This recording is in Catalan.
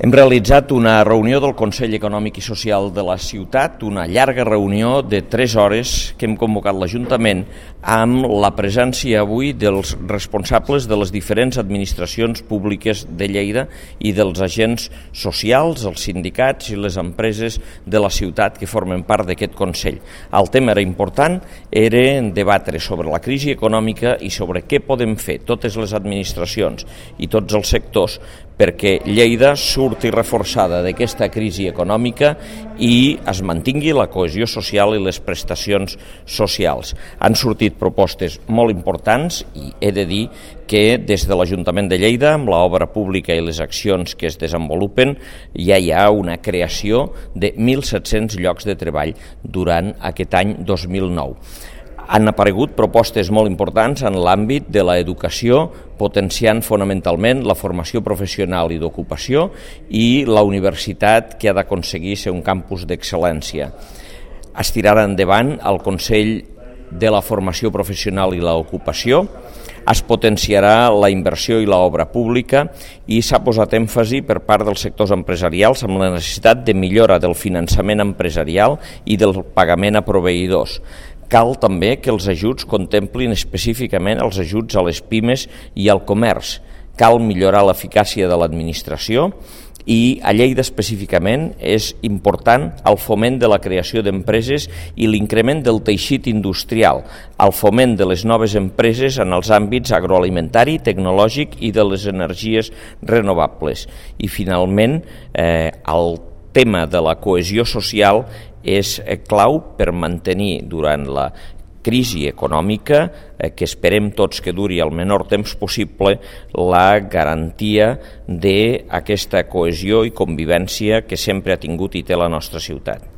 Hem realitzat una reunió del Consell Econòmic i Social de la ciutat, una llarga reunió de 3 hores que hem convocat l'Ajuntament amb la presència avui dels responsables de les diferents administracions públiques de Lleida i dels agents socials, els sindicats i les empreses de la ciutat que formen part d'aquest Consell. El tema era important, era debatre sobre la crisi econòmica i sobre què podem fer totes les administracions i tots els sectors perquè Lleida surti reforçada d'aquesta crisi econòmica i es mantingui la cohesió social i les prestacions socials. Han sortit propostes molt importants i he de dir que des de l'Ajuntament de Lleida, amb l'obra pública i les accions que es desenvolupen, ja hi ha una creació de 1.700 llocs de treball durant aquest any 2009. Han aparegut propostes molt importants en l'àmbit de l'educació, potenciant fonamentalment la formació professional i d'ocupació i la universitat que ha d'aconseguir ser un campus d'excel·lència. Es tirarà endavant el Consell de la Formació Professional i l'Ocupació, es potenciarà la inversió i l'obra pública i s'ha posat èmfasi per part dels sectors empresarials amb la necessitat de millora del finançament empresarial i del pagament a proveïdors. Cal també que els ajuts contemplin específicament els ajuts a les pimes i al comerç. Cal millorar l'eficàcia de l'administració i a Lleida específicament és important el foment de la creació d'empreses i l'increment del teixit industrial, el foment de les noves empreses en els àmbits agroalimentari, tecnològic i de les energies renovables. I finalment, el tema de la cohesió social és clau per mantenir durant la crisi econòmica, que esperem tots que duri el menor temps possible, la garantia d'aquesta cohesió i convivència que sempre ha tingut i té la nostra ciutat.